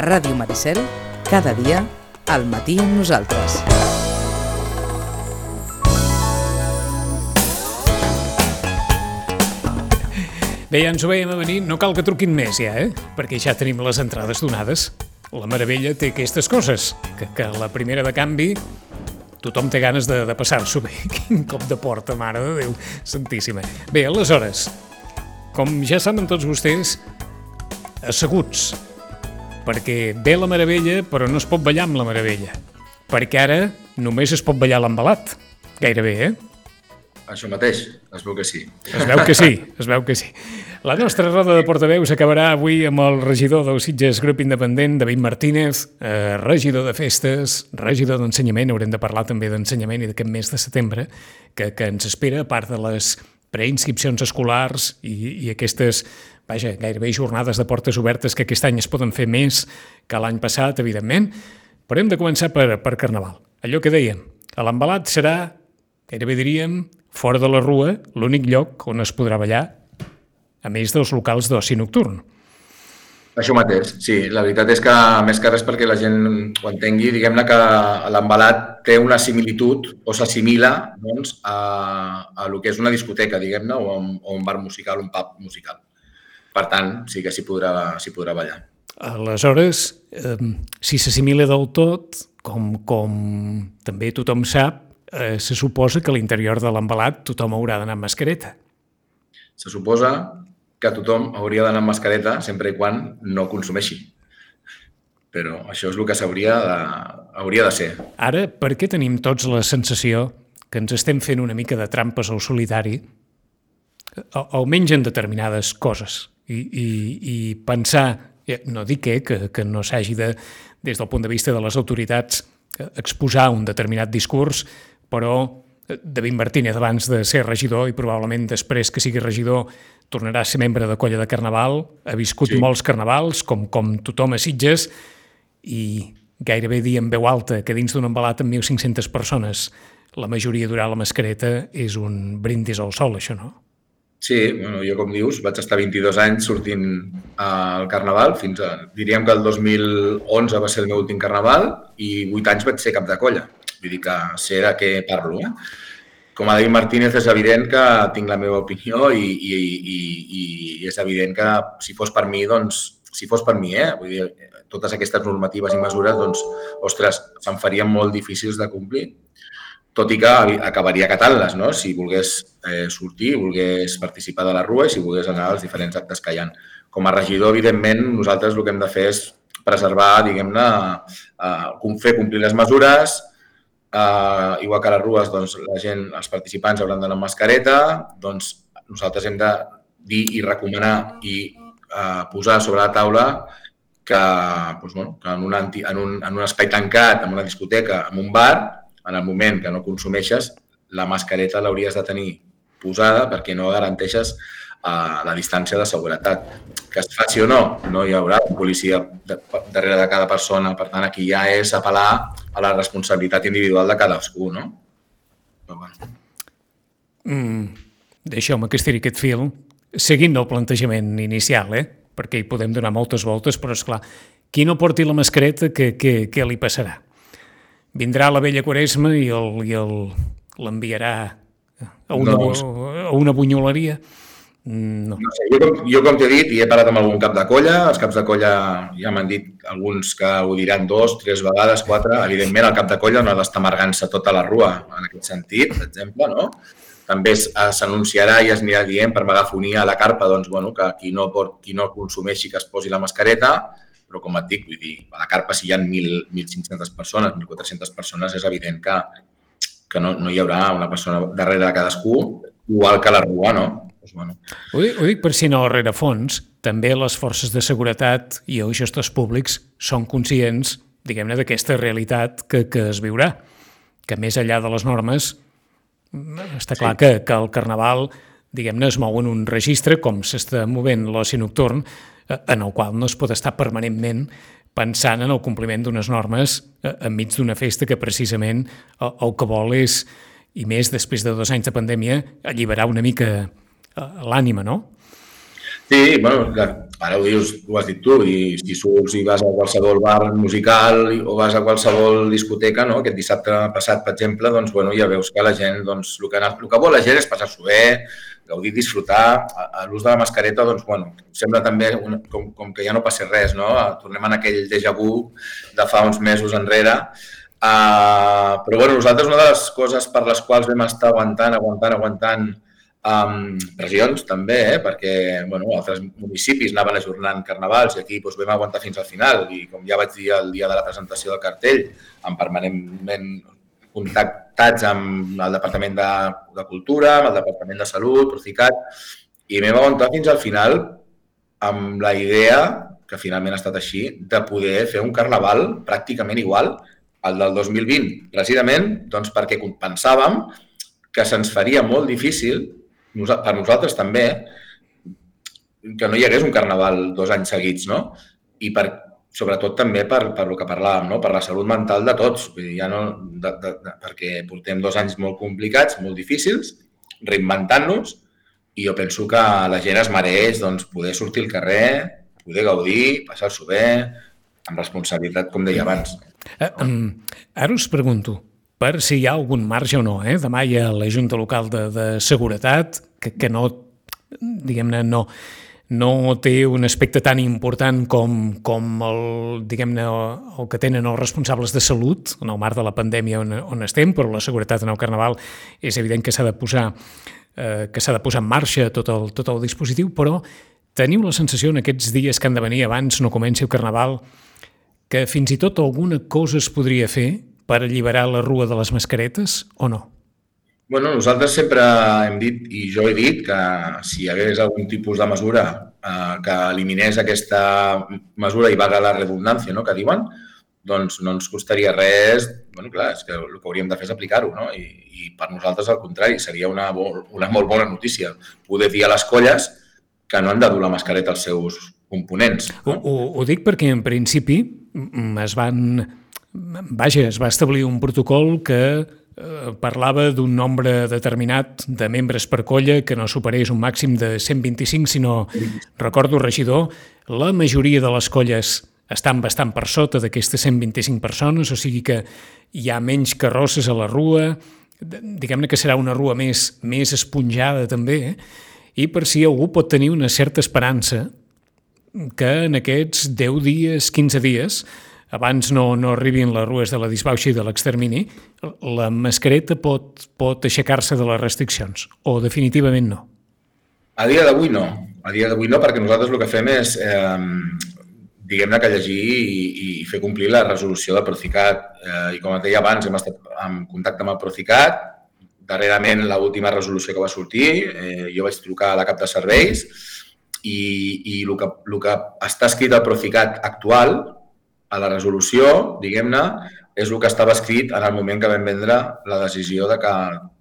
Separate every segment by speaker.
Speaker 1: A Ràdio Maricel, cada dia, al matí amb nosaltres.
Speaker 2: Bé, ja ens ho veiem a venir, no cal que truquin més ja, perquè ja tenim les entrades donades. La Meravella té aquestes coses, que la primera de canvi tothom té ganes de passar-s'ho bé. Quin cop de porta, mare de Déu santíssima. Bé, aleshores, com ja saben tots vostès, asseguts, perquè ve la Meravella però no es pot ballar amb la Meravella, perquè ara només es pot ballar l'embalat, gairebé,
Speaker 3: Això mateix, es veu que sí.
Speaker 2: Es veu que sí. La nostra roda de portaveus acabarà avui amb el regidor del Sitges Grup Independent, David Martínez, regidor de festes, regidor d'ensenyament, haurem de parlar també d'ensenyament i d'aquest mes de setembre, que ens espera, a part de les preinscripcions escolars i aquestes, gairebé jornades de portes obertes que aquest any es poden fer més que l'any passat, evidentment. Però hem de començar per Carnaval. Allò que dèiem, l'embalat serà, gairebé diríem, fora de la Rua, l'únic lloc on es podrà ballar, a més dels locals d'oci nocturn.
Speaker 3: Això mateix, sí. La veritat és que, més que res perquè la gent ho entengui, diguem-ne que l'embalat té una similitud o s'assimila doncs, a el que és una discoteca, diguem-ne, o un bar musical, un pub musical. Per tant, sí que s'hi podrà ballar.
Speaker 2: Aleshores, si s'assimila del tot, com també tothom sap, se suposa que a l'interior de l'embalat tothom haurà d'anar amb mascareta.
Speaker 3: Se suposa que tothom hauria d'anar amb mascareta sempre i quan no consumeixi. Però això és el que hauria de ser.
Speaker 2: Ara, per què tenim tots la sensació que ens estem fent una mica de trampes al solitari, almenys en determinades coses, i pensar, no dic que no s'hagi de, des del punt de vista de les autoritats, exposar un determinat discurs, però David Martínez, abans de ser regidor i probablement després que sigui regidor, tornarà a ser membre de colla de Carnaval, ha viscut molts carnavals, com tothom a Sitges, i gairebé dir en veu alta que dins d'un embalat amb 1.500 persones la majoria durà la mascareta és un brindis al sol, això, no?
Speaker 3: Sí, jo, com dius, vaig estar 22 anys sortint al Carnaval, diríem que el 2011 va ser el meu últim Carnaval i 8 anys vaig ser cap de colla. Vull dir que sé de què parlo. Com a David Martínez és evident que tinc la meva opinió i és evident que si fos per mi, vull dir, totes aquestes normatives i mesures, doncs, ostres, se'n farien molt difícils de complir. Tot i que acabaria acatant-les, no? Si volgués sortir, volgués participar de la Rua i si volgués anar als diferents actes que hi ha. Com a regidor, evidentment, nosaltres el que hem de fer és preservar, diguem-ne, fer complir les mesures. Igual que a les rues, doncs, la gent, els participants hauran d'anar amb mascareta, doncs nosaltres hem de dir i recomanar i posar sobre la taula que en un espai tancat, en una discoteca, en un bar, en el moment que no consumeixes, la mascareta l'hauries de tenir posada perquè no garanteixes la distància de seguretat. Que es faci o no, no hi haurà un policia darrere de cada persona. Per tant, aquí ja és apel·lar a la responsabilitat individual de cadascú, no? Però bueno.
Speaker 2: Deixeu-me que estiri aquest fil, seguint el plantejament inicial, perquè hi podem donar moltes voltes, però esclar, qui no porti la mascareta, què li passarà? Vindrà la vella Quaresma i l'enviarà a una bunyoleria? No
Speaker 3: sé, jo com t'he dit, i he parlat amb algun cap de colla, els caps de colla ja m'han dit alguns que ho diran 2, 3 vegades, 4, evidentment el cap de colla no ha d'estar amargant-se tota la Rua, en aquest sentit, per exemple, no? També s'anunciarà i es anirà dient per megafonia a la carpa, doncs, que qui no consumeixi que es posi la mascareta, però com et dic, vull dir, a la carpa si hi ha 1.500 persones, 1.400 persones, és evident que no hi haurà una persona darrere de cadascú, igual que a la Rua, no?
Speaker 2: Ho dic per si no al rerefons, també les forces de seguretat i els gestors públics són conscients, diguem-ne, d'aquesta realitat que es viurà, que més enllà de les normes està clar que el Carnaval, diguem-ne, es mou en un registre, com s'està movent l'oci nocturn, en el qual no es pot estar permanentment pensant en el compliment d'unes normes enmig d'una festa que precisament el que vol és, i més després de 2 anys de pandèmia, alliberar una mica l'ànima, no?
Speaker 3: Sí, bueno, ara ho dius, ho has dit tu, i si surts i vas a qualsevol bar musical o vas a qualsevol discoteca, no? Aquest dissabte passat, per exemple, doncs, bueno, ja veus que la gent, doncs, el que vol la gent és passar-s'ho bé, gaudir, disfrutar. A l'ús de la mascareta, doncs, bueno, sembla també com que ja no passi res, no? Tornem en aquell déjà vu de fa uns mesos enrere. Però, bueno, nosaltres una de les coses per les quals vam estar aguantant pressions també, perquè altres municipis anaven ajornant carnavals i aquí vam aguantar fins al final i com ja vaig dir el dia de la presentació del cartell, permanentment contactats amb el Departament de Cultura, amb el Departament de Salut, Procicat, i vam aguantar fins al final amb la idea, que finalment ha estat així, de poder fer un carnaval pràcticament igual al del 2020, precisament doncs, perquè pensàvem que se'ns faria molt difícil, per nosaltres també, que no hi hagués un carnaval 2 anys seguits, no? I sobretot també per el que parlàvem, no? Per la salut mental de tots, vull dir, ja no, perquè portem 2 anys molt complicats, molt difícils, reinventant-nos, i jo penso que la gent es mereix doncs, poder sortir al carrer, poder gaudir, passar-s'ho bé, amb responsabilitat, com deia abans.
Speaker 2: Ara us pregunto, per si hi ha algun marge o no, demà hi ha la Junta Local de Seguretat, que no, diguem-ne, no té un aspecte tan important com el que tenen els responsables de salut en el marc de la pandèmia on estem, però la seguretat en el Carnaval és evident que s'ha de posar en marxa tot el dispositiu, però teniu la sensació en aquests dies que han de venir abans no comenci el Carnaval que fins i tot alguna cosa es podria fer per alliberar la rua de les mascaretes o no?
Speaker 3: Bueno, nosaltres sempre hem dit, i jo he dit, que si hi hagués algun tipus de mesura que eliminés aquesta mesura i vaga la redundància, no?, que diuen, doncs no ens costaria res. Bueno, clar, és que el que hauríem de fer és aplicar-ho, no? I per nosaltres, al contrari, seria una molt bona notícia poder dir a les colles que no han de dur la mascareta als seus components. No?
Speaker 2: Ho dic perquè, en principi, es va establir un protocol que parlava d'un nombre determinat de membres per colla que no superés un màxim de 125, sinó, recordo, regidor, la majoria de les colles estan bastant per sota d'aquestes 125 persones, o sigui que hi ha menys carrosses a la rua, diguem-ne que serà una rua més esponjada també, i per si algú pot tenir una certa esperança que en aquests 10 dies, 15 dies, abans no arribin les rues de la disbauxa i de l'extermini, la mascareta pot aixecar-se de les restriccions, o definitivament no?
Speaker 3: A dia d'avui no. A dia d'avui no, perquè nosaltres el que fem és, diguem-ne, que llegir i fer complir la resolució del Procicat. I com et deia abans, hem estat en contacte amb el Procicat. Darrerament, l'última resolució que va sortir, jo vaig trucar a la cap de serveis i el que està escrit al Procicat actual, a la resolució, diguem-ne, és el que estava escrit en el moment que vam prendre la decisió de que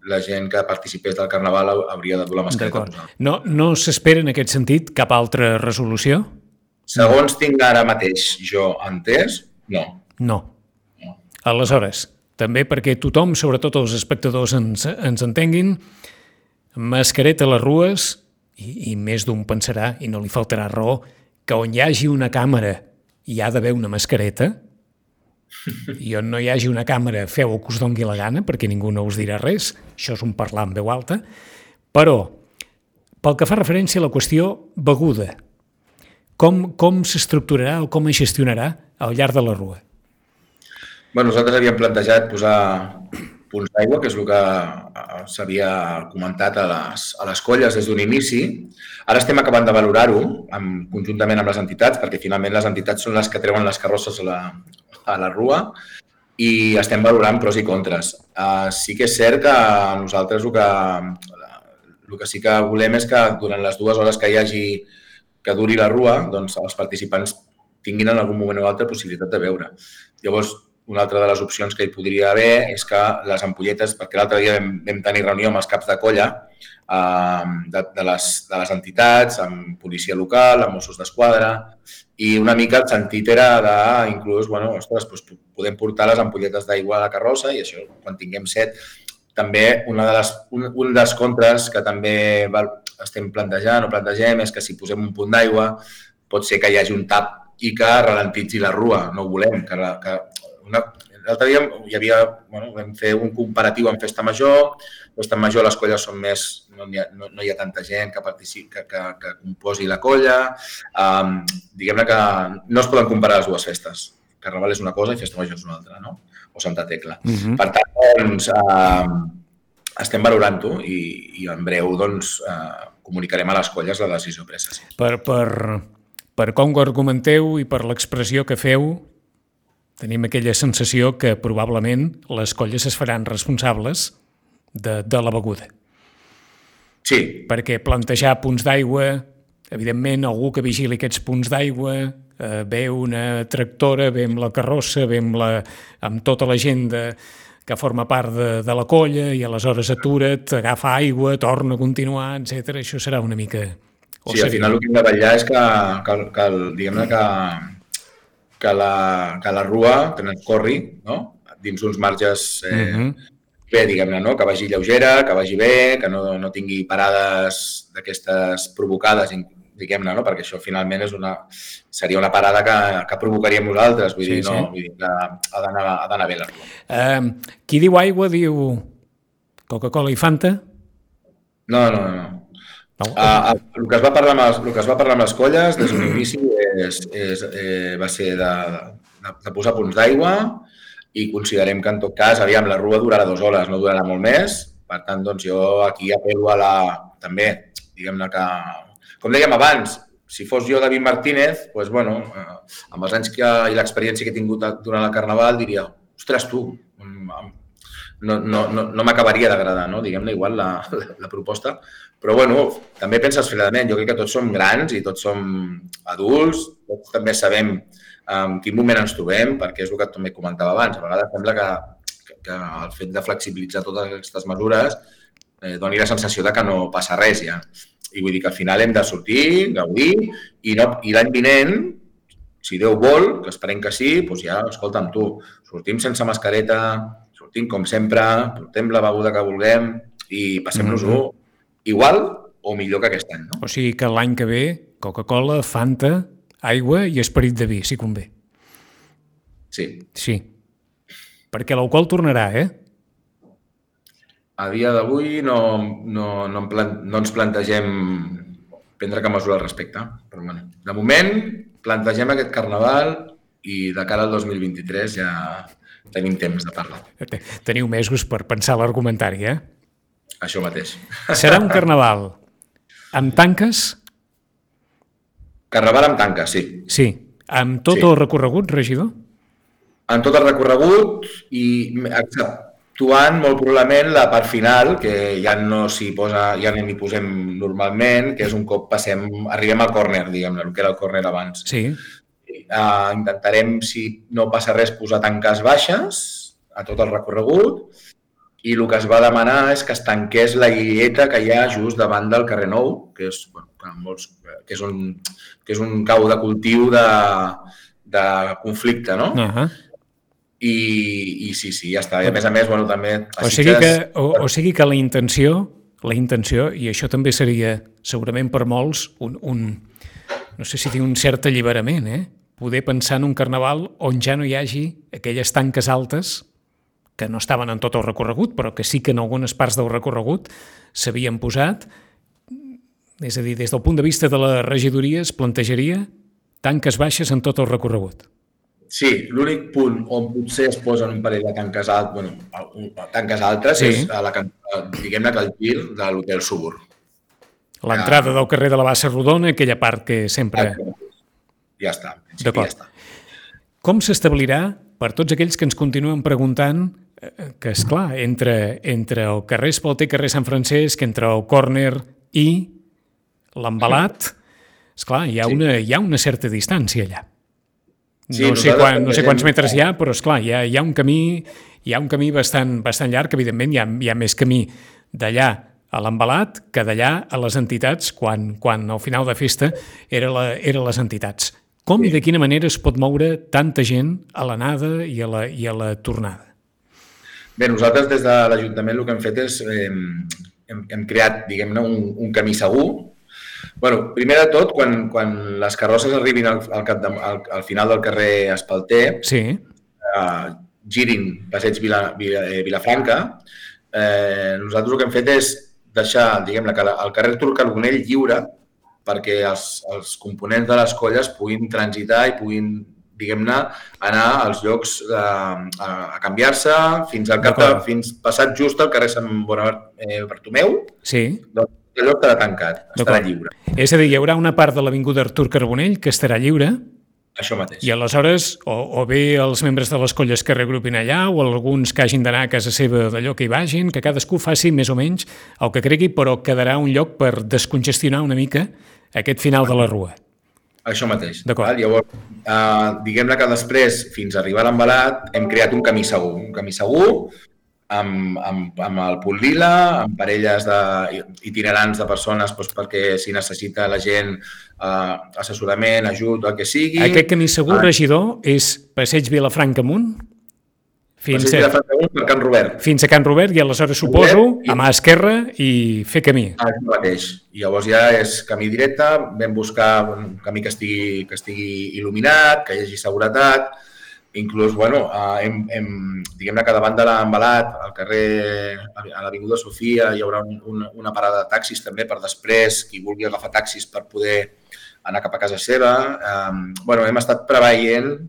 Speaker 3: la gent que participés del Carnaval hauria de dur la mascareta.
Speaker 2: No s'espera en aquest sentit cap altra resolució?
Speaker 3: Segons tinc ara mateix jo entès, no.
Speaker 2: No. Aleshores, també perquè tothom, sobretot els espectadors, ens entenguin, mascareta a les rues, i més d'un pensarà, i no li faltarà raó, que on hi hagi una càmera hi ha d'haver una mascareta, i on no hi hagi una càmera feu el que us doni la gana, perquè ningú no us dirà res, això és un parlar en veu alta, però pel que fa referència a la qüestió beguda, com s'estructurarà o com es gestionarà al llarg de la rua?
Speaker 3: Bueno, nosaltres havíem plantejat posar punts d'aigua, que és el que s'havia comentat a les colles des d'un inici. Ara estem acabant de valorar-ho conjuntament amb les entitats, perquè finalment les entitats són les que treuen les carrosses a la rua i estem valorant pros i contres. Sí que és cert que nosaltres el que sí que volem és que durant les 2 hores que duri la rua, doncs els participants tinguin en algun moment o altre possibilitat de beure. Llavors, una altra de les opcions que hi podria haver és que les ampolletes, perquè l'altre dia vam tenir reunió amb els caps de colla de les entitats, amb policia local, amb Mossos d'Esquadra, i una mica el sentit era d'inclús, podem portar les ampolletes d'aigua a la carrossa i això, quan tinguem set, també un dels contres que també estem plantejant o plantegem és que si posem un punt d'aigua pot ser que hi hagi un tap i que ralentitzi la rua. No ho volem. L'altre dia vam fer un comparatiu amb Festa Major. Festa Major les colles són més... No hi ha tanta gent que participi, que composi la colla. Diguem-ne que no es poden comparar les dues festes. Carnaval és una cosa i Festa Major és una altra, no? O Santa Tecla. Per tant, doncs, estem valorant-ho i en breu doncs, comunicarem a les colles la decisió presa. Sí.
Speaker 2: Per com ho argumenteu i per l'expressió que feu, tenim aquella sensació que probablement les colles es faran responsables de la beguda.
Speaker 3: Sí.
Speaker 2: Perquè plantejar punts d'aigua, evidentment, algú que vigili aquests punts d'aigua, ve una tractora, ve amb la carrossa, ve amb tota la gent que forma part de la colla i aleshores atura't, agafa aigua, torna a continuar, etc. Això serà una mica...
Speaker 3: Sí, al final el que hem de vetllar és diguem-ne que la rua corri, no? Dins uns marges bé, diguem-ne, no? Que vagi lleugera, que vagi bé, que no tingui parades d'aquestes provocades, diguem-ne, no? Perquè això finalment seria una parada que provocaríem nosaltres, vull dir que ha d'anar bé la rua.
Speaker 2: Qui diu aigua diu Coca-Cola i Fanta?
Speaker 3: No. El que es va parlar amb les colles des d'un inici va ser de posar punts d'aigua i considerem que en tot cas, la rua durarà 2 hores, no durarà molt més. Per tant, doncs jo aquí apel·lo també, diguem-ne que, com dèiem abans, si fos jo David Martínez, doncs, bueno, amb els anys i l'experiència que he tingut durant el Carnaval, diria, ostres, tu, no m'acabaria d'agradar, no? Diguem-ne, igual la proposta. Però, bueno, també penses fredament. Jo crec que tots som grans i tots som adults, tots també sabem en quin moment ens trobem, perquè és el que també comentava abans. A vegades sembla que el fet de flexibilitzar totes aquestes mesures doni la sensació de que no passa res ja. I vull dir que al final hem de sortir, gaudir, i l'any vinent, si Déu vol, que esperem que sí, doncs ja, escolta'm tu, sortim sense mascareta, sortim com sempre, portem la beguda que vulguem i passem-nos-ho igual o millor que aquest any, no?
Speaker 2: O sigui que l'any que ve, Coca-Cola, Fanta, aigua i esperit de vi, si convé.
Speaker 3: Sí.
Speaker 2: Perquè l'alcohol tornarà,
Speaker 3: A dia d'avui no ens plantegem prendre cap mesura al respecte. Però, bueno, de moment, plantegem aquest Carnaval i de cara al 2023 ja tenim temps de parlar.
Speaker 2: Teniu mesos per pensar l'argumentari,
Speaker 3: Això mateix.
Speaker 2: Serà un Carnaval amb tanques?
Speaker 3: Carnaval amb tanques, sí.
Speaker 2: Sí. Amb tot el recorregut, regidor?
Speaker 3: Amb tot el recorregut i exceptuant molt probablement la part final, que ja no n'hi posem normalment, que és un cop arribem al córner, diguem-ne, el que era el córner abans.
Speaker 2: Sí.
Speaker 3: Intentarem, si no passa res, posar tanques baixes a tot el recorregut i el que es va demanar és que es tanqués la illeta que hi ha just davant del carrer Nou, que és un cau de cultiu de conflicte, no? I sí, ja està. I a més, bueno, també...
Speaker 2: O sigui que la intenció, i això també seria segurament per molts, no sé si dir un cert alliberament, poder pensar en un Carnaval on ja no hi hagi aquelles tanques altes que no estaven en tot el recorregut, però que sí que en algunes parts del recorregut s'havien posat. És a dir, des del punt de vista de la regidoria es plantejaria tanques baixes en tot el recorregut.
Speaker 3: Sí, l'únic punt on potser es posen un parell de tanques altres és diguem-ne que el gir de l'Hotel Subur.
Speaker 2: L'entrada del carrer de la Bassa Rodona, aquella part que sempre...
Speaker 3: Ja està.
Speaker 2: D'acord. Com s'establirà, per tots aquells que ens continuen preguntant, que, esclar, entre el carrer Espalter i carrer Sant Francesc, entre el córner i l'embalat, esclar, hi ha una certa distància allà. No sé quants metres hi ha, però esclar, hi ha un camí bastant llarg, evidentment hi ha més camí d'allà a l'embalat que d'allà a les entitats, quan al final de festa eren les entitats. Com i de quina manera es pot moure tanta gent a l'anada i a la tornada?
Speaker 3: Bé, nosaltres des de l'Ajuntament el que hem fet és hem creat, diguem-ne, un camí segur. Bueno, primer de tot, quan les carrosses arribin al final del carrer Espalter,
Speaker 2: Sí.
Speaker 3: girin Passeig Vilafranca, nosaltres el que hem fet és deixar, diguem-ne, el carrer Artur Carbonell lliure perquè els components de les colles puguin transitar i puguin, diguem-ne, anar als llocs a canviar-se fins passat just al carrer Sant Bartomeu.
Speaker 2: Sí.
Speaker 3: Doncs el lloc estarà tancat, estarà lliure.
Speaker 2: És a dir, hi haurà una part de l'avinguda Artur Carbonell que estarà lliure.
Speaker 3: Això mateix.
Speaker 2: I aleshores, o bé els membres de les colles que regrupin allà o alguns que hagin d'anar a casa seva d'allò que hi vagin, que cadascú faci més o menys el que cregui, però quedarà un lloc per descongestionar una mica aquest final de la rua.
Speaker 3: Això mateix.
Speaker 2: D'acord.
Speaker 3: Llavors, diguem-ne que després, fins a arribar a l'Embalat, hem creat un camí segur, amb el punt lila, amb parelles itinerants de persones perquè si necessita la gent assessorament, ajut, el que sigui.
Speaker 2: Aquest camí segur, regidor, és Passeig Vilafranca amunt?
Speaker 3: Passeig Vilafranca amunt per Can Robert.
Speaker 2: Fins a Can Robert i aleshores suposo a mà esquerra i fer camí.
Speaker 3: Això mateix. I llavors ja és camí directe, vam buscar un camí que estigui il·luminat, que hi hagi seguretat. Inclús, bueno, diguem-ne que davant de l'Embalat, al carrer, a l'Avinguda Sofia, hi haurà una parada de taxis també per després, qui vulgui agafar taxis per poder anar cap a casa seva. Bueno, hem estat preveient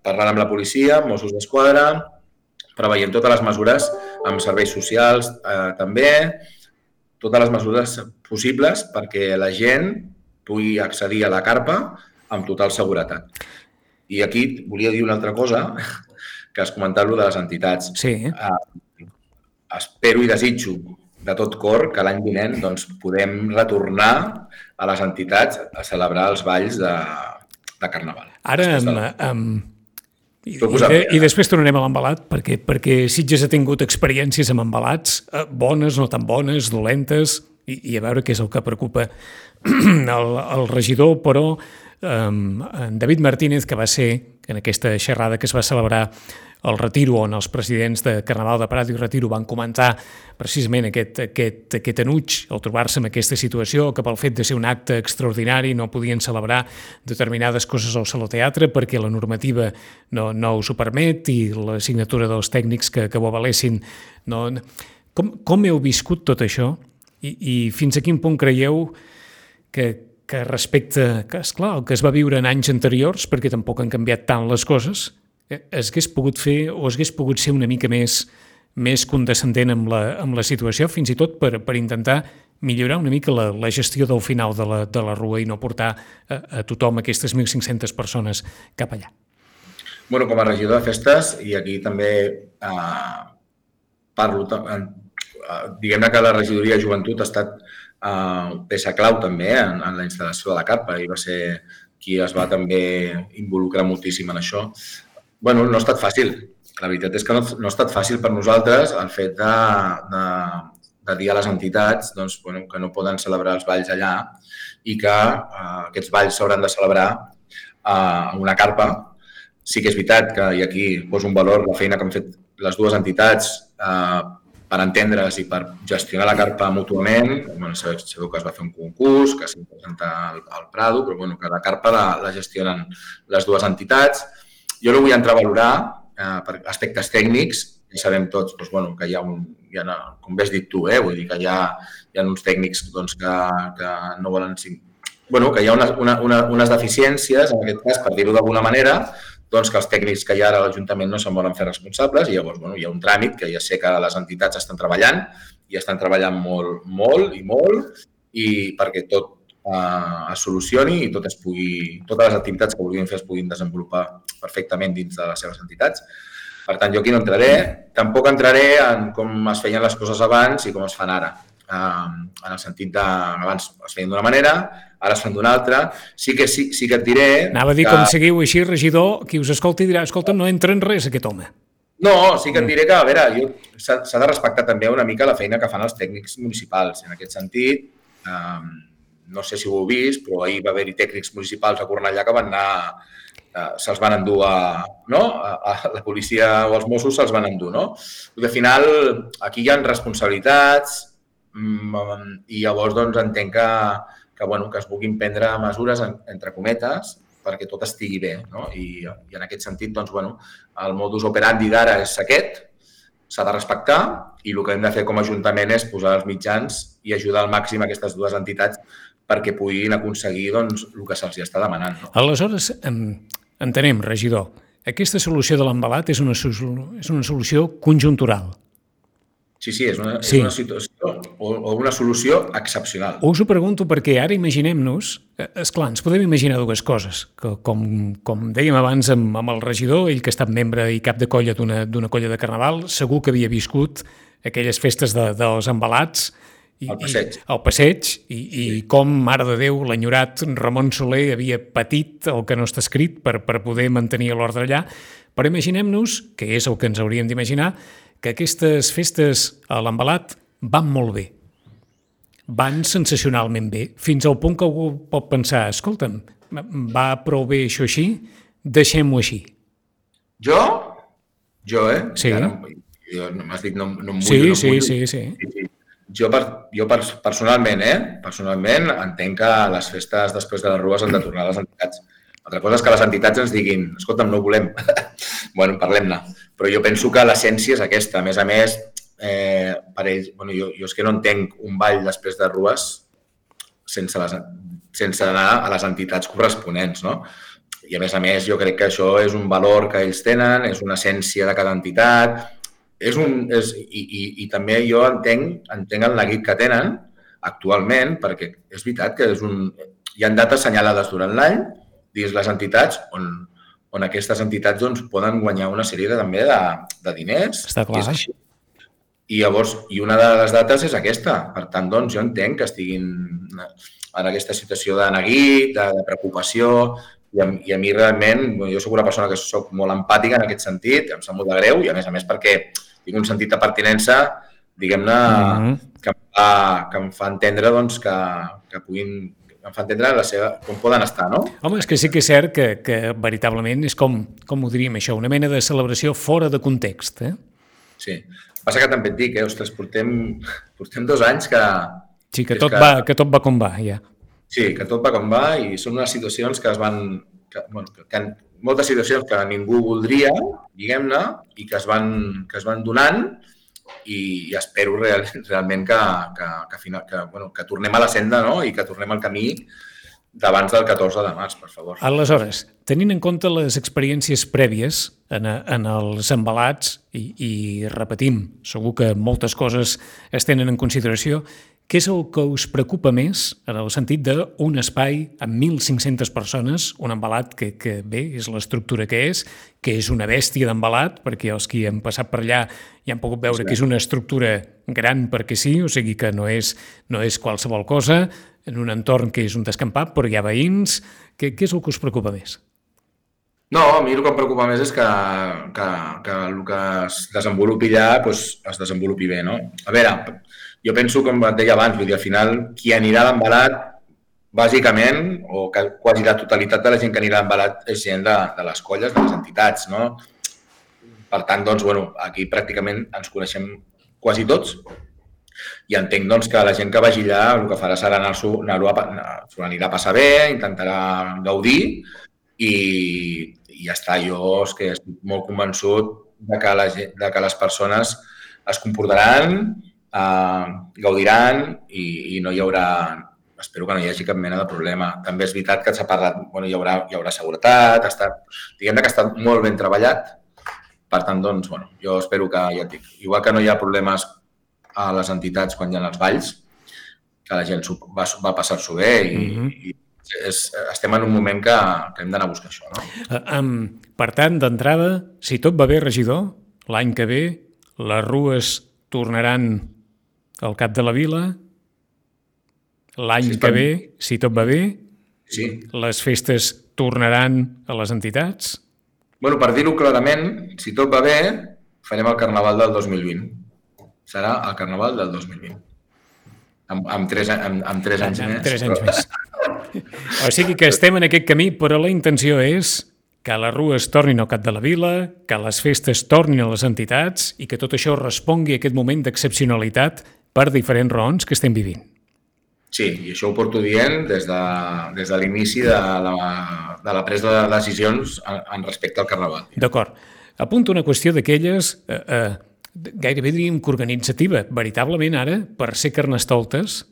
Speaker 3: parlant amb la policia, Mossos d'Esquadra, preveient totes les mesures amb serveis socials també, totes les mesures possibles perquè la gent pugui accedir a la carpa amb total seguretat. I aquí volia dir una altra cosa, que has comentat, de les entitats.
Speaker 2: Sí.
Speaker 3: Espero i desitjo de tot cor que l'any vinent podem retornar a les entitats a celebrar els balls de Carnaval.
Speaker 2: Ara, i després tornarem a l'Embalat, perquè Sitges ha tingut experiències amb embalats, bones, no tan bones, dolentes, i a veure què és el que preocupa el regidor, però en David Martínez, que va ser en aquesta xerrada que es va celebrar al Retiro, on els presidents de Carnaval de Prat i Retiro van comentar precisament aquest enuig al trobar-se en aquesta situació, que pel fet de ser un acte extraordinari no podien celebrar determinades coses al Saló Teatre perquè la normativa no us ho permet i la signatura dels tècnics que ho avalessin. Com heu viscut tot això i fins a quin punt creieu que respecte, esclar, el que es va viure en anys anteriors, perquè tampoc han canviat tant les coses, es hagués pogut fer o es hagués pogut ser una mica més condescendent amb la situació, fins i tot per intentar millorar una mica la gestió del final de la rua i no portar a tothom, aquestes 1.500 persones, cap allà.
Speaker 3: Bueno, com a regidor de festes, i aquí també parlo, diguem-ne que la regidoria de joventut ha estat peça clau també en la instal·lació de la carpa i va ser qui es va també involucrar moltíssim en això. Bueno, no ha estat fàcil. La veritat és que no ha estat fàcil per nosaltres el fet de dir a les entitats que no poden celebrar els balls allà i que aquests balls s'hauran de celebrar a una carpa. Sí que és veritat que, i aquí poso un valor, la feina que han fet les dues entitats per entendre's i per gestionar la carpa mútuament. Sabeu que es va fer un concurs, que s'ha presentat al Prado, però que la carpa la gestionen les dues entitats. Jo no vull entrar a valorar per aspectes tècnics, i sabem tots que hi ha com bé has dit tu, vull dir que hi ha uns tècnics que no volen... que hi ha unes deficiències, en aquest cas, per dir-ho d'alguna manera, que els tècnics que hi ha ara a l'Ajuntament no se'n volen fer responsables i llavors hi ha un tràmit que ja sé que les entitats estan treballant i estan treballant molt i perquè tot es solucioni i totes les activitats que vulguin fer es puguin desenvolupar perfectament dins de les seves entitats. Per tant, jo aquí no entraré. Tampoc entraré en com es feien les coses abans i com es fan ara. En el sentit de abans es feien d'una manera, ara es fan d'una altra. Sí que et diré...
Speaker 2: Anava a dir, com seguiu així, regidor, qui us escolti dirà, escolta, no entra en res aquest home.
Speaker 3: No, sí que et diré que, a veure, s'ha de respectar també una mica la feina que fan els tècnics municipals. En aquest sentit, no sé si ho heu vist, però ahir va haver-hi tècnics municipals a Cornellà que van anar, se'ls van endur a la policia o els Mossos se'ls van endur, no? Perquè al final aquí hi ha responsabilitats i llavors doncs entenc que es puguin prendre mesures, entre cometes, perquè tot estigui bé, no? I en aquest sentit, doncs, el modus operandi d'ara és aquest, s'ha de respectar i el que hem de fer com a Ajuntament és posar els mitjans i ajudar al màxim aquestes dues entitats perquè puguin aconseguir doncs, el que se'ls està demanant. No?
Speaker 2: Aleshores, entenem, regidor, aquesta solució de l'embalat és una solució conjuntural.
Speaker 3: Sí, és una situació o una solució excepcional.
Speaker 2: Us ho pregunto perquè ara imaginem-nos, esclar, ens podem imaginar dues coses, que com dèiem abans amb el regidor, ell que ha estat membre i cap de colla d'una colla de carnaval, segur que havia viscut aquelles festes dels embalats, al passeig, i com, mare de Déu, l'enyorat Ramon Soler havia patit el que no està escrit per poder mantenir l'ordre allà, però imaginem-nos, que és el que ens hauríem d'imaginar, que aquestes festes a l'embalat van molt bé, van sensacionalment bé, fins al punt que algú pot pensar, escolta'm, va prou bé això així, deixem-ho així.
Speaker 3: Jo,
Speaker 2: Sí.
Speaker 3: M'has dit no em mullo.
Speaker 2: Sí.
Speaker 3: Jo personalment entenc que les festes després de les rues han de tornar a les entitats. Altra cosa és que les entitats ens diguin, escolta'm, no ho volem. Parlem-ne. Però jo penso que l'essència és aquesta. A més, per ells, jo és que no entenc un ball després de rues sense anar a les entitats corresponents, no? I a més, jo crec que això és un valor que ells tenen, és una essència de cada entitat, i també jo entenc el neguit que tenen actualment, perquè és veritat que hi ha dates assenyalades durant l'any dins les entitats on aquestes entitats doncs, poden guanyar una sèrie també de diners.
Speaker 2: Està clar.
Speaker 3: I llavors, una de les dates és aquesta. Per tant, doncs, jo entenc que estiguin en aquesta situació de neguit, de preocupació, i a mi realment, jo soc una persona que soc molt empàtica en aquest sentit, em sap molt de greu, i a més perquè tinc un sentit de pertinença, diguem-ne, que em fa entendre doncs, que puguin... em fa entendre com poden estar, no?
Speaker 2: Home, és que sí que és cert que veritablement és com ho diríem això, una mena de celebració fora de context, eh?
Speaker 3: Sí. Passa que també et dic, ostres, portem 2 anys que...
Speaker 2: Sí, que tot va com va, ja.
Speaker 3: Sí, que tot va com va i són unes situacions que es van... moltes situacions que ningú voldria, diguem-ne, i que es van donant i espero realment que tornem a la senda, no? I que tornem al camí d'abans del 14 de març, per favor.
Speaker 2: Aleshores, tenint en compte les experiències prèvies en els embalats i repetim, segur que moltes coses es tenen en consideració, què és el que us preocupa més en el sentit d'un espai amb 1.500 persones, un embalat que bé, és l'estructura que és una bèstia d'embalat, perquè els que han passat per allà ja han pogut veure que és una estructura gran perquè sí, o sigui que no és qualsevol cosa, en un entorn que és un descampat, però hi ha veïns. Què és el que us preocupa més?
Speaker 3: No, a mi el que em preocupa més és que el que es desenvolupi allà es desenvolupi bé, no? A veure, jo penso, com et deia abans, vull dir, al final, qui anirà a l'embalat, bàsicament, o quasi la totalitat de la gent que anirà a l'embalat és gent de les colles, de les entitats, no? Per tant, doncs, aquí pràcticament ens coneixem quasi tots i entenc, doncs, que la gent que vagi allà el que farà serà s'ho anirà a passar bé, intentarà gaudir i ja està. Jo és que estic molt convençut de que les persones es comportaran, gaudiran i no hi haurà, espero que no hi hagi cap mena de problema. També és veritat que s'ha parlat, hi haurà seguretat, diguem-ne que està molt ben treballat. Per tant, doncs, jo espero que, ja et dic, igual que no hi ha problemes a les entitats quan hi ha els balls, que la gent va passar-s'ho bé i estem en un moment que hem d'anar a buscar això, no?
Speaker 2: Per tant, d'entrada, si tot va bé, regidor, l'any que ve les rues tornaran al cap de la vila, l'any que ve, si tot va bé, les festes tornaran a les entitats?
Speaker 3: Per dir-ho clarament, si tot va bé, farem el Carnaval del 2020. Serà el Carnaval del 2020. amb 3 anys més.
Speaker 2: 3 anys més. O sigui que estem en aquest camí, però la intenció és que les rues tornin al cap de la vila, que les festes tornin a les entitats i que tot això respongui a aquest moment d'excepcionalitat per diferents raons que estem vivint.
Speaker 3: Sí, i això ho porto dient des de l'inici de la presa de decisions en respecte al Carnaval.
Speaker 2: D'acord. Apunto una qüestió d'aquelles gairebé diríem que organitzativa. Veritablement ara, per ser carnestoltes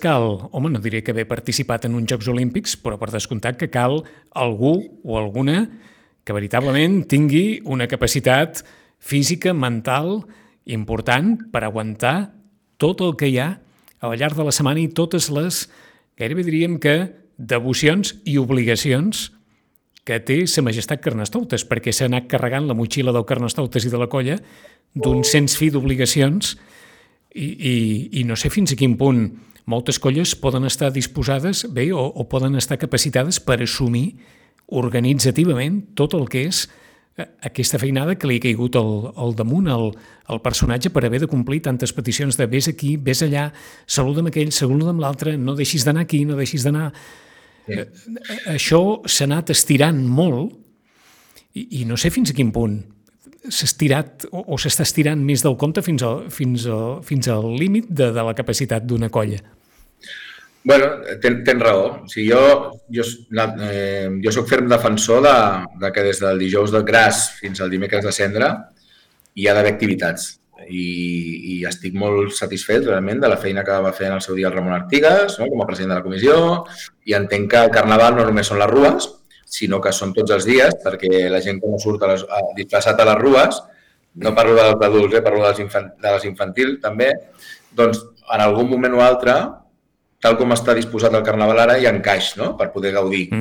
Speaker 2: cal, home, no diré que haver participat en uns Jocs Olímpics, però per descomptat que cal algú o alguna que veritablement tingui una capacitat física, mental, important per aguantar tot el que hi ha al llarg de la setmana i totes les, gairebé diríem que, devocions i obligacions que té sa majestat Carnestoltes, perquè s'ha anat carregant la motxilla del Carnestoltes i de la colla d'un sens fi d'obligacions i no sé fins a quin punt moltes colles poden estar disposades bé o poden estar capacitades per assumir organitzativament tot el que és aquesta feinada que li ha caigut al damunt al personatge per haver de complir tantes peticions de vés aquí, vés allà, saluda'm aquell, saluda'm l'altre, no deixis d'anar aquí, no deixis d'anar... Sí. Això s'ha anat estirant molt i no sé fins a quin punt s'ha estirat o s'està estirant més del compte fins al límit de la capacitat d'una colla.
Speaker 3: Bueno, tens raó. O sigui, jo soc ferm defensor de que des del dijous de Gras fins al dimecres de Cendra hi ha d'haver activitats. I estic molt satisfet realment de la feina que va fer en el seu dia el Ramon Artigas, no? Com a president de la comissió, i entenc que el Carnaval no només són les rues, sinó que són tots els dies, perquè la gent que no surt disfressat a les rues, no parlo dels adults, parlo de les infantils també, doncs en algun moment o altre, tal com està disposat el Carnaval ara, hi ha encaix, no?, per poder gaudir.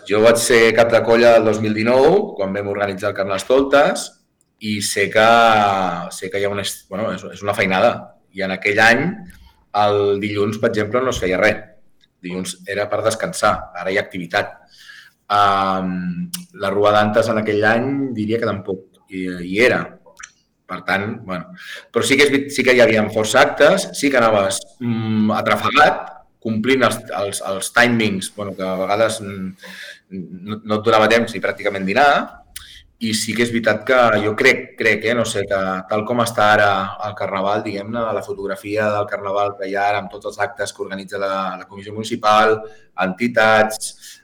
Speaker 3: Jo vaig ser cap de colla el 2019, quan vam organitzar el Carnestoltes, i sé que hi ha és una feinada. I en aquell any, el dilluns, per exemple, no es feia res. Dilluns era per descansar, ara hi ha activitat. La Rua d'Antes en aquell any diria que tampoc hi era. Per tant, bueno... Però sí que hi havia força actes, sí que anaves atrafegat, complint els timings, que a vegades no et donava temps ni pràcticament dinar, i sí que és veritat que jo crec, no sé, que tal com està ara el Carnaval, diguem-ne, la fotografia del Carnaval que hi ha ara amb tots els actes que organitza la Comissió Municipal, entitats...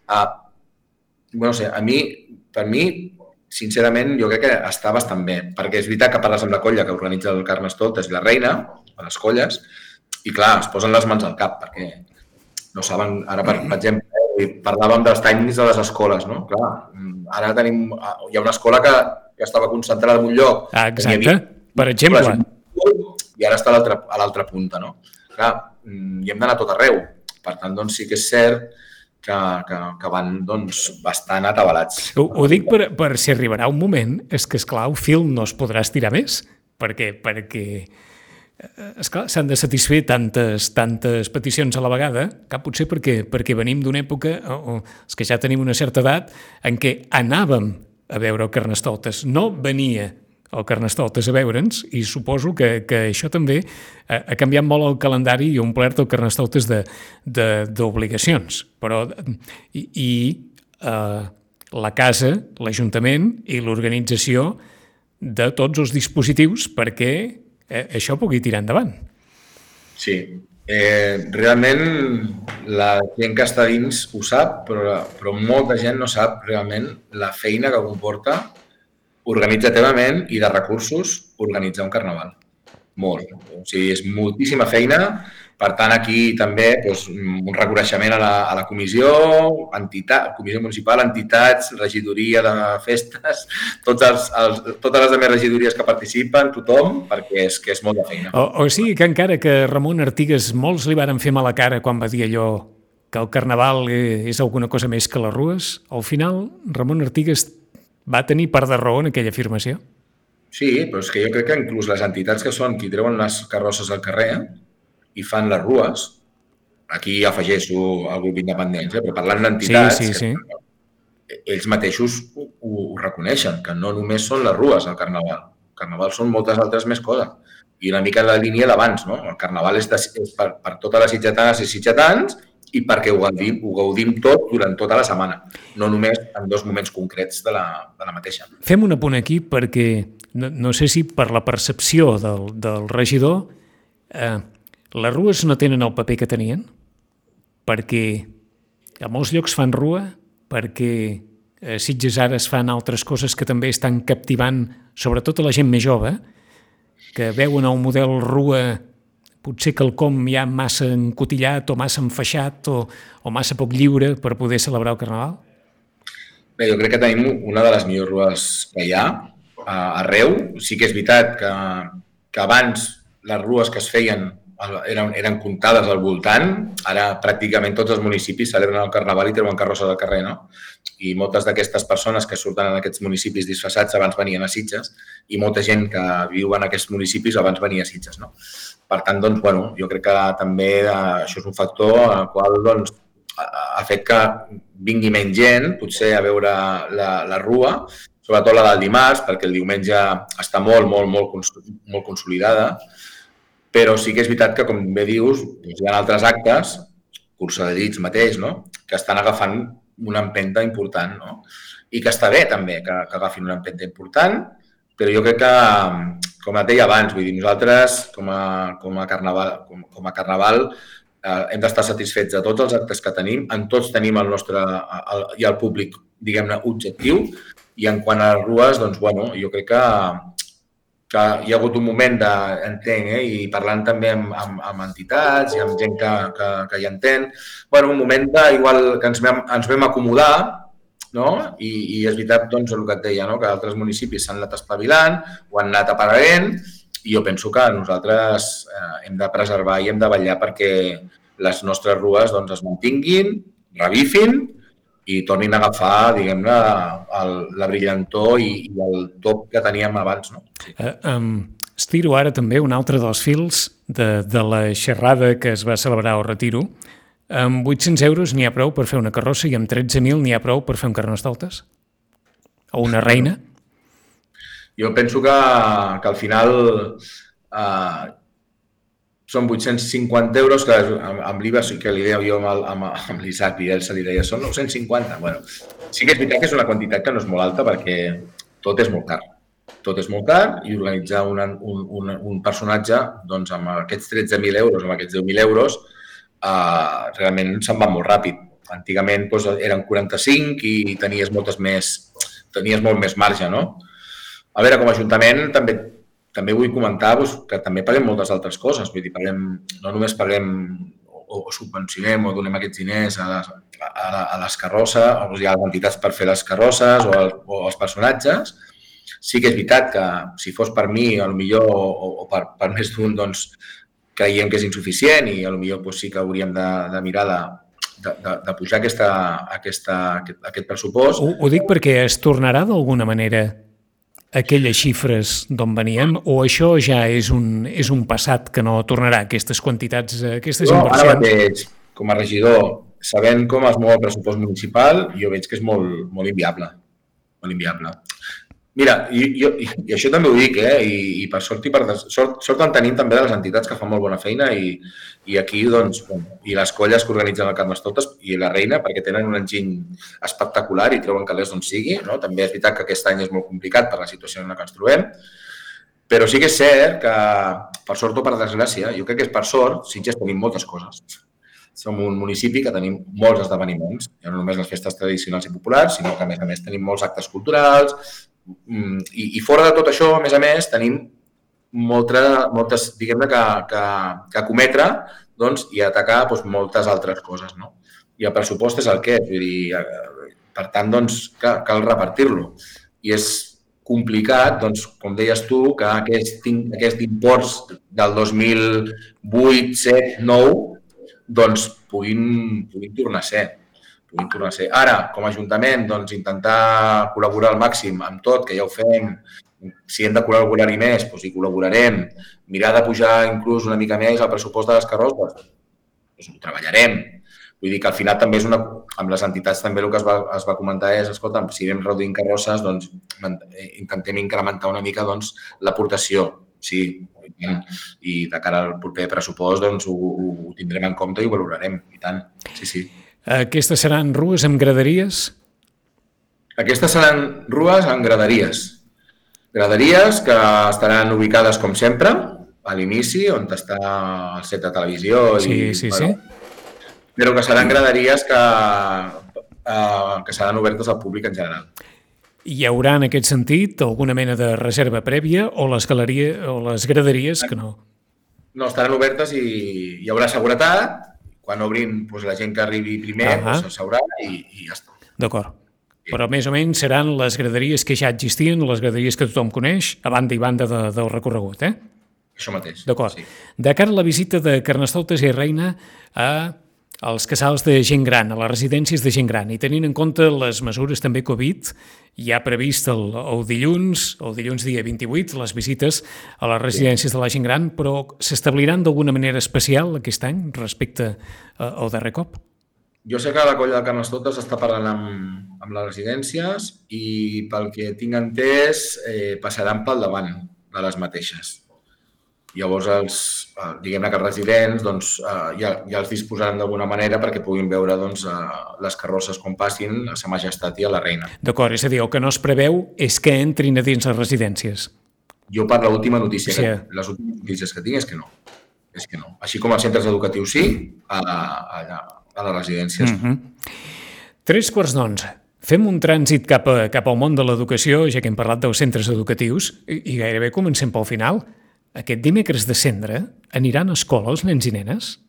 Speaker 3: No sé, per mi, sincerament, jo crec que està bastant bé, perquè és veritat que parles amb la colla que organitza el Carnestoltes i la Reina, a les colles, i clar, es posen les mans al cap, perquè no saben, ara per exemple, parlàvem dels timings de les escoles, no? Clar, ara hi ha una escola que estava concentrada en un lloc.
Speaker 2: Exacte, per exemple.
Speaker 3: I ara està a l'altra punta, no? Clar, hi hem d'anar tot arreu. Per tant, doncs sí que és cert que van bastant atabalats.
Speaker 2: Ho dic per si arribarà un moment, és que, esclar, el film no es podrà estirar més, perquè esclar, s'han de satisfer tantes peticions a la vegada, que potser perquè venim d'una època, els que ja tenim una certa edat, en què anàvem a veure el Carnestoltes. No venia el Carnestoltes a veure'ns, i suposo que això també ha canviat molt el calendari i ha omplert el Carnestoltes d'obligacions. Però la casa, l'Ajuntament i l'organització de tots els dispositius perquè això pugui tirar endavant.
Speaker 3: Sí. Realment la gent que està dins ho sap, però molta gent no sap realment la feina que comporta organitzativament i de recursos organitzar un carnaval. Molt. O sigui, és moltíssima feina. Per tant, aquí també un reconeixement a la comissió, comissió municipal, entitats, regidoria de festes, totes les altres regidories que participen, tothom, perquè és molta feina.
Speaker 2: O sigui que encara que Ramon Artigas molts li varen fer mala cara quan va dir allò que el carnaval és alguna cosa més que les rues, al final Ramon Artigas va tenir part de raó en aquella afirmació?
Speaker 3: Sí, però és que jo crec que inclús les entitats que són qui treuen les carrosses al carrer i fan les rues, aquí afegeixo el grup independent, però parlant d'entitats,
Speaker 2: sí.
Speaker 3: ells mateixos ho reconeixen, que no només són les rues al carnaval. El carnaval són moltes altres més coses. i una mica la línia d'abans, no? El carnaval és per totes les sitgetanes i sitgetans i perquè ho gaudim tot durant tota la setmana, no només en 2 moments concrets de la mateixa.
Speaker 2: Fem un apunt aquí perquè no sé si per la percepció del regidor les rues no tenen el paper que tenien, perquè a molts llocs fan rua, perquè a Sitges ara es fan altres coses que també estan captivant sobretot a la gent més jove, que veuen el model rua potser quelcom ja massa encotillat o massa enfaixat o massa poc lliure per poder celebrar el Carnaval?
Speaker 3: Bé, jo crec que tenim una de les millors rues que hi ha arreu. Sí que és veritat que abans les rues que es feien eren comptades al voltant. Ara pràcticament tots els municipis celebren el Carnaval i treuen carrosses al carrer, no? I moltes d'aquestes persones que surten en aquests municipis disfressats abans venien a Sitges i molta gent que viu en aquests municipis abans venia a Sitges, no? Per tant, doncs, bueno, jo crec que també això és un factor al qual doncs, ha fet que vingui menys gent, potser a veure la rua, sobretot la del dimarts, perquè el diumenge està molt consolidada, però sí que és veritat que, com bé dius, hi ha altres actes, cursa de llits mateix, no? Que estan agafant una empenta important, no? I que està bé també que agafin una empenta important, però jo crec que, com et deia abans, vull dir, nosaltres com a Carnaval hem d'estar satisfets de tots els actes que tenim, en tots tenim el nostre i el públic, diguem-ne, objectiu, i en quant a les rues, doncs, bueno, jo crec que hi ha hagut un moment entenc, i parlant també amb entitats i amb gent que hi entén, bueno, un moment igual que ens vam acomodar, no? I és veritat doncs, el que et deia, no? Que altres municipis s'han anat espavilant, ho han anat apareguent, i jo penso que nosaltres hem de preservar i hem de vetllar perquè les nostres rues doncs, es mantinguin, revifin i tornin a agafar, diguem-ne, la brillantor i el top que teníem abans, no?
Speaker 2: Estiro ara també un altre dels fils de la xerrada que es va celebrar al Retiro. Amb 800 euros n'hi ha prou per fer una carrossa i amb 13.000 n'hi ha prou per fer un carnestoltes? O una reina?
Speaker 3: Jo penso que al final són 850 euros, que amb l'IVA sí que li deia jo amb l'Isaac i ell se li deia, són 950. Bueno, sí que és veritat que és una quantitat que no és molt alta perquè tot és molt car. Tot és molt car i organitzar un personatge doncs, amb aquests 13.000 euros, amb aquests 10.000 euros, realment se'n va molt ràpid. Antigament doncs, eren 45 i tenies molt més marge, no? A veure, com a Ajuntament també vull comentar que també paguem moltes altres coses. Vull dir, no només paguem o subvencionem o donem aquests diners a les carrosses, o a les entitats per fer les carrosses o els personatges. Sí que és veritat que si fos per mi, potser o per més d'un, doncs creiem que és insuficient i potser sí que hauríem de mirar de pujar aquest pressupost.
Speaker 2: Ho dic perquè es tornarà d'alguna manera aquelles xifres d'on veníem o això ja és un passat que no tornarà, aquestes quantitats, aquestes inversions?
Speaker 3: Ara mateix, com a regidor, sabent com es mou el pressupost municipal, jo veig que és molt inviable. Molt inviable. Mira, i això també ho dic, i per sort en tenim també de les entitats que fan molt bona feina i aquí, doncs, i les colles que organitzen el Carnestoltes i la Reina, perquè tenen un enginy espectacular i treuen calés d'on sigui, no? També és veritat que aquest any és molt complicat per la situació en la que ens trobem, però sí que és cert que, per sort o per desgràcia, jo crec que és per sort, Sitges tenim moltes coses. Som un municipi que tenim molts esdeveniments, no només les festes tradicionals i populars, sinó que, a més, tenim molts actes culturals, i fora de tot això, a més, tenim moltes, diguem-ne, que cometre i atacar moltes altres coses, no? I el pressupost és el que és, vull dir, per tant, doncs, cal repartir-lo. I és complicat, doncs, com deies tu, que aquest imports del 2008, 7, 9, doncs, puguin tornar a ser. Ara, com a Ajuntament, doncs, intentar col·laborar al màxim amb tot, que ja ho fem. Si hem de col·laborar-hi més, doncs hi col·laborarem. Mirar de pujar inclús una mica més el pressupost de les carrosses, doncs ho treballarem. Vull dir que al final també és amb les entitats també el que es va comentar és, escolta, si anem reduint carrosses, doncs intentem incrementar una mica l'aportació. sí. I de cara al proper pressupost doncs, ho tindrem en compte i ho valorarem, i tant, sí.
Speaker 2: Aquestes seran rues amb graderies?
Speaker 3: Aquestes seran rues amb graderies. Graderies que estaran ubicades, com sempre, a l'inici, on està el set de televisió.
Speaker 2: Sí.
Speaker 3: Però que seran graderies que seran obertes al públic en general.
Speaker 2: Hi haurà, en aquest sentit, alguna mena de reserva prèvia o les graderies que no?
Speaker 3: No, estaran obertes i hi haurà seguretat. Quan obrin, doncs, la gent que arribi primer s'asseurà i ja està.
Speaker 2: D'acord. Però més o menys seran les graderies que ja existien, les graderies que tothom coneix, a banda i banda del recorregut,
Speaker 3: Això mateix.
Speaker 2: D'acord.
Speaker 3: Sí.
Speaker 2: De cara a la visita de Carnestoltes i Reina als casals de gent gran, a les residències de gent gran, i tenint en compte les mesures també Covid, hi ha previst el dilluns dia 28, les visites a les residències de la gent gran, però s'establiran d'alguna manera especial aquest any respecte al darrer cop?
Speaker 3: Jo sé que la colla de Carnestoltes està parlant amb les residències i pel que tinc entès passaran pel davant de les mateixes. Llavors, diguem-ne que els residents doncs, ja els disposaran d'alguna manera perquè puguin veure doncs, les carrosses com passin a Sa Majestat i a la Reina.
Speaker 2: D'acord, és a dir, el que no es preveu és que entrin a dins les residències.
Speaker 3: Jo per l'última notícia, les últimes notícies que tinc és que no. Així com als centres educatius sí, a les residències.
Speaker 2: 11:03. Fem un trànsit cap al món de l'educació, ja que hem parlat dels centres educatius, i gairebé comencem pel final. Aquest dimecres de Cendra aniran a escola els nens i nenes?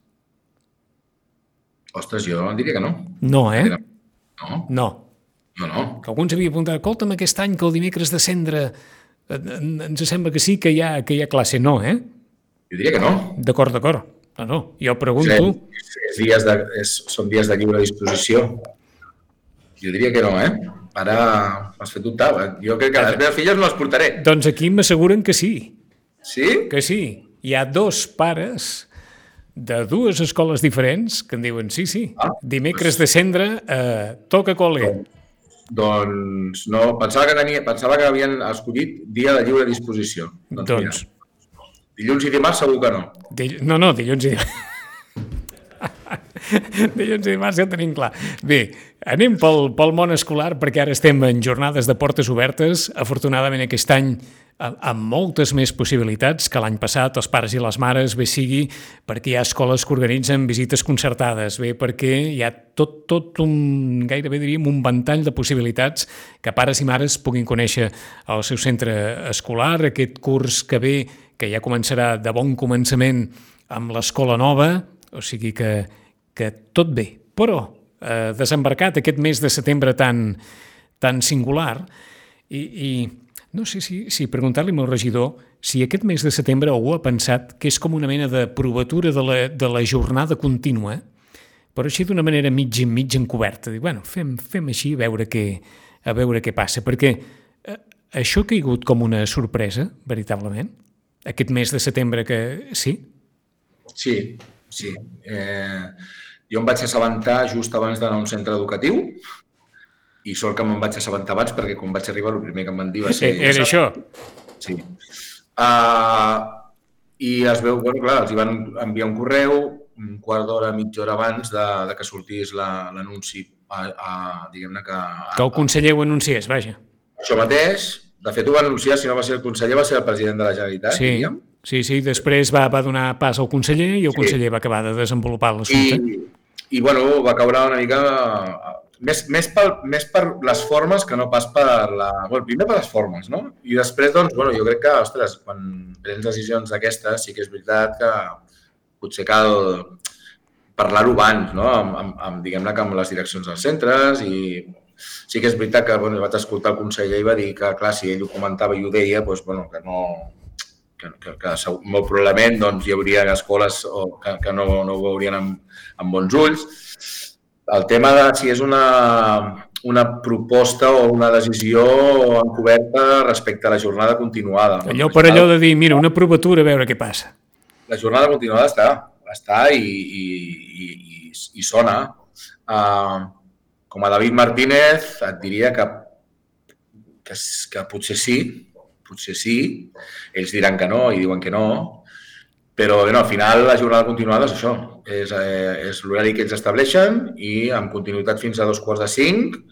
Speaker 3: Ostres, jo diria que no.
Speaker 2: No,
Speaker 3: No.
Speaker 2: Que alguns havien apuntat, escolta'm, aquest any que el dimecres de Cendra ens sembla que sí que hi ha classe. No,
Speaker 3: Jo diria que no.
Speaker 2: D'acord. No, jo pregunto...
Speaker 3: Són dies de lliure disposició. Jo diria que no, Ara m'has fet dubtar. Jo crec que les meves filles no les portaré.
Speaker 2: Doncs aquí m'asseguren que sí.
Speaker 3: Sí?
Speaker 2: Que sí. Hi ha 2 pares de 2 escoles diferents que en diuen sí. Dimecres de Cendra toca col·le.
Speaker 3: Doncs no, pensava que havien escollit dia de lliure disposició.
Speaker 2: Doncs
Speaker 3: dilluns i dimarts segur que no.
Speaker 2: No, dilluns i dimarts. Dilluns i dimarts ja ho tenim clar. Bé, anem pel món escolar perquè ara estem en jornades de portes obertes. Afortunadament aquest any amb moltes més possibilitats que l'any passat, els pares i les mares, bé sigui perquè hi ha escoles que organitzen visites concertades, bé perquè hi ha tot un, gairebé diríem, un ventall de possibilitats que pares i mares puguin conèixer el seu centre escolar, aquest curs que ve, que ja començarà de bon començament amb l'escola nova, o sigui que tot bé. Però desembarcat aquest mes de setembre tan singular i no sé si preguntar-li al regidor si aquest mes de setembre algú ha pensat que és com una mena de provatura de la jornada contínua, però així d'una manera mig encoberta. Dic, bueno, fem així a veure què passa, perquè això ha caigut com una sorpresa, veritablement, aquest mes de setembre que sí?
Speaker 3: Sí. Jo em vaig assabentar just abans d'anar a un centre educatiu i sort que me'n vaig assabentar abans perquè quan vaig arribar el primer que em van dir va ser...
Speaker 2: Era això?
Speaker 3: Sí. I es veu, clar, els hi van enviar un correu un quart d'hora, mitja hora abans de que sortís l'anunci, diguem-ne que...
Speaker 2: Que el conseller ho anunciés, vaja.
Speaker 3: Això mateix, de fet ho va anunciar, si no va ser el conseller, va ser el president de la Generalitat, diríem.
Speaker 2: Sí, després va donar pas al conseller i el conseller va acabar de desenvolupar l'assumpte.
Speaker 3: I bueno, va caure una mica... Més per les formes que no pas per la... Bueno, primer per les formes, no? I després, doncs, bueno, jo crec que, ostres, quan prens decisions d'aquestes, sí que és veritat que potser cal parlar-ho abans, no? Diguem-ne que amb les direccions dels centres i sí que és veritat que bueno, vaig escoltar el conseller i va dir que, clar, si ell ho comentava i ho deia, doncs, bueno, que molt probablement doncs, hi hauria escoles que no ho veurien amb bons ulls. El tema de si és una proposta o una decisió encoberta respecte a la jornada continuada.
Speaker 2: Allò per allò de dir, mira, una provatura, a veure què passa. La
Speaker 3: jornada continuada està i sona. Com a David Martínez et diria que potser sí, potser sí, ells diran que no i diuen que no, però al final la jornada continuada és això, és l'horari que ells estableixen i amb continuïtat fins a 4:45,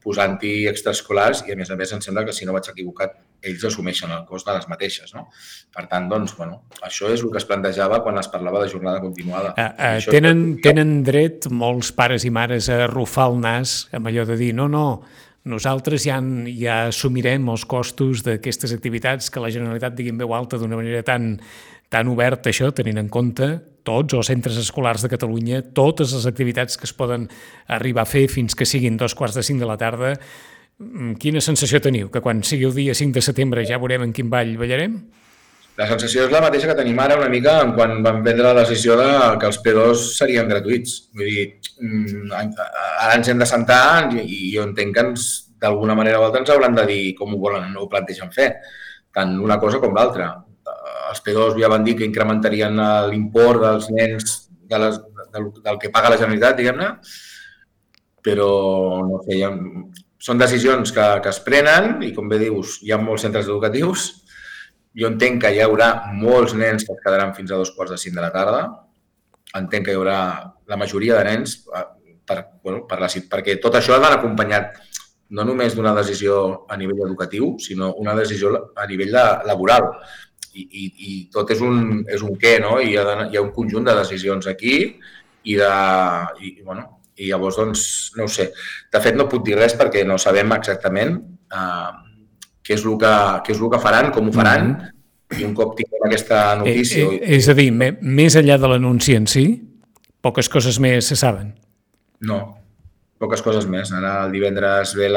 Speaker 3: posant-hi extraescolars i a més em sembla que si no vaig equivocat ells assumeixen el cost de les mateixes. No? Per tant, doncs, això és el que es plantejava quan es parlava de jornada continuada.
Speaker 2: Tenen dret molts pares i mares a arrufar el nas amb allò de dir no, nosaltres ja assumirem els costos d'aquestes activitats que la Generalitat digui en veu alta d'una manera tan oberta, això, tenint en compte tots els centres escolars de Catalunya, totes les activitats que es poden arribar a fer fins que siguin 4:45 de la tarda. Quina sensació teniu? Que quan sigui el dia 5 de setembre ja veurem en quin ball ballarem?
Speaker 3: La sensació és la mateixa que tenim ara una mica quan vam prendre la decisió que els P2 serien gratuïts. Vull dir, ara ens hem de sentar i jo entenc que d'alguna manera o altra ens hauran de dir com ho plantegen fer, tant una cosa com l'altra. Els P2 ja van dir que incrementarien l'import dels nens del que paga la Generalitat, diguem-ne, però no sé, són decisions que es prenen i, com bé dius, hi ha molts centres educatius. Jo entenc que hi haurà molts nens que es quedaran fins a 4:45 de la tarda. Entenc que hi haurà la majoria de nens perquè tot això ha d'anar acompanyat no només d'una decisió a nivell educatiu, sinó una decisió a nivell laboral. I tot és un què, no? Hi ha un conjunt de decisions aquí i llavors, doncs, no ho sé. De fet, no puc dir res perquè no sabem exactament què és el que faran, com ho faran, i un cop tinguem aquesta notícia...
Speaker 2: És a dir, més enllà de l'anunci en si, poques coses més se saben.
Speaker 3: No, poques coses més. Ara el divendres ve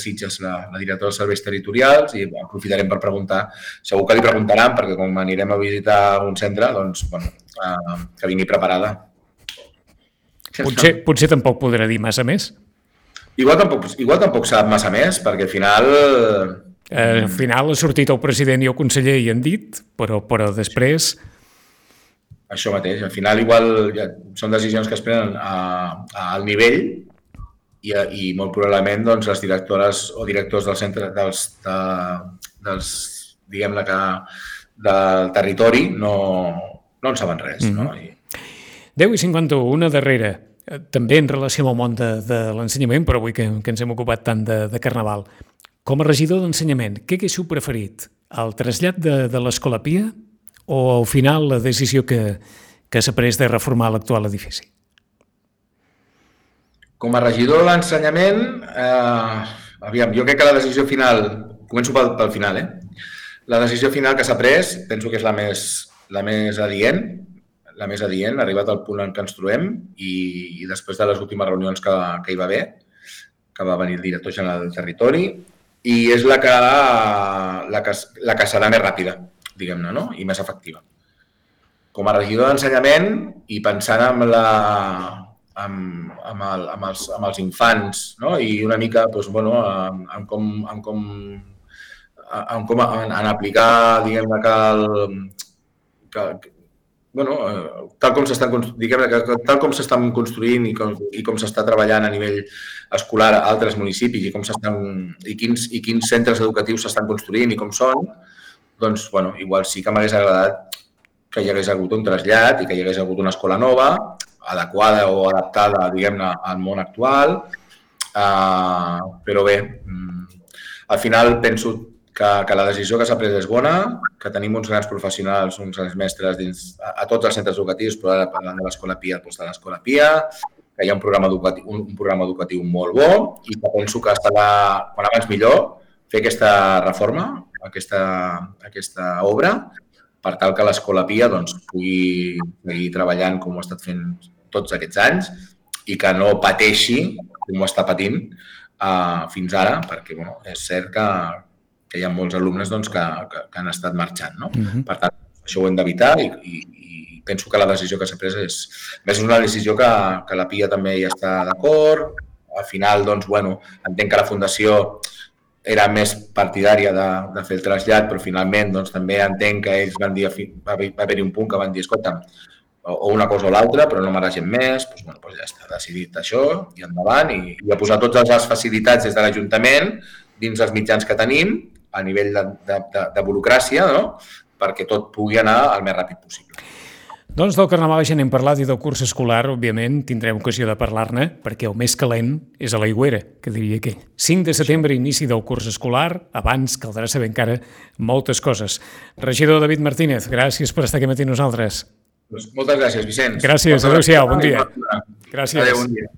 Speaker 3: Sitges la directora dels serveis territorials i aprofitarem per preguntar. Segur que li preguntaran perquè com anirem a visitar un centre, doncs, que vingui preparada.
Speaker 2: Potser tampoc podrà dir massa més.
Speaker 3: Igual tampoc sap massa més, perquè al final...
Speaker 2: Al final ha sortit el president i el conseller i han dit, però després...
Speaker 3: Això mateix. Al final igual són decisions que es prenen al nivell i molt probablement doncs, les directores o directors del centre diguem-ne que del territori no en saben res. No?
Speaker 2: 10:51, una darrera, també en relació amb el món de l'ensenyament, però avui que ens hem ocupat tant de Carnaval. Com a regidor d'ensenyament, què haguéssiu preferit? El trasllat de l'Escola Pia o al final la decisió que s'ha pres de reformar l'actual edifici?
Speaker 3: Com a regidor d'ensenyament, jo crec que la decisió final, començo pel final, la decisió final que s'ha pres, penso que és la més adient, ha arribat al punt en què ens trobem i després de les últimes reunions que hi va haver, que va venir el director general del territori, i és la que serà més ràpida, diguem-ne, no? I més efectiva. Com a regidor d'ensenyament i pensant amb els infants, no? I una mica en aplicar, diguem-ne, tal com s'estan construint i com s'està treballant a nivell escolar a altres municipis i quins centres educatius s'estan construint i com són, doncs, igual sí que m'hagués agradat que hi hagués hagut un trasllat i que hi hagués hagut una escola nova, adequada o adaptada, diguem-ne, al món actual. Però bé, al final penso que la decisió que s'ha pres és bona, que tenim uns grans professionals, uns grans mestres a tots els centres educatius, però ara parlant de l'Escola Pia, doncs de l'Escola Pia, que hi ha un programa educatiu molt bo i que penso que estarà, quan abans millor, fer aquesta reforma, aquesta obra, per tal que l'Escola Pia pugui seguir treballant com ho ha estat fent tots aquests anys i que no pateixi com ho està patint fins ara, perquè és cert que hi ha molts alumnes que han estat marxant. No? Per tant, això ho hem d'evitar i penso que la decisió que s'ha pres és una decisió que la Pia també hi està d'acord. Al final, entenc que la Fundació era més partidària de fer el trasllat, però finalment també entenc que ells van dir, va haver-hi un punt que van dir, escolta, o una cosa o l'altra, però no maregem més, doncs ja està decidit això i endavant, i a posar totes les facilitats des de l'Ajuntament dins els mitjans que tenim a nivell de burocràcia, no? Perquè tot pugui anar el més ràpid possible.
Speaker 2: Doncs del Carnaval ja n'hem parlat i del curs escolar, òbviament, tindrem ocasió de parlar-ne, perquè el més calent és a l'aigüera, que diria que 5 de setembre, inici del curs escolar, abans caldrà saber encara moltes coses. Regidor David Martínez, gràcies per estar aquí amb nosaltres.
Speaker 3: Moltes gràcies, Vicenç.
Speaker 2: Gràcies, adéu-siau, bon dia.
Speaker 3: Gràcies. Adéu, bon dia.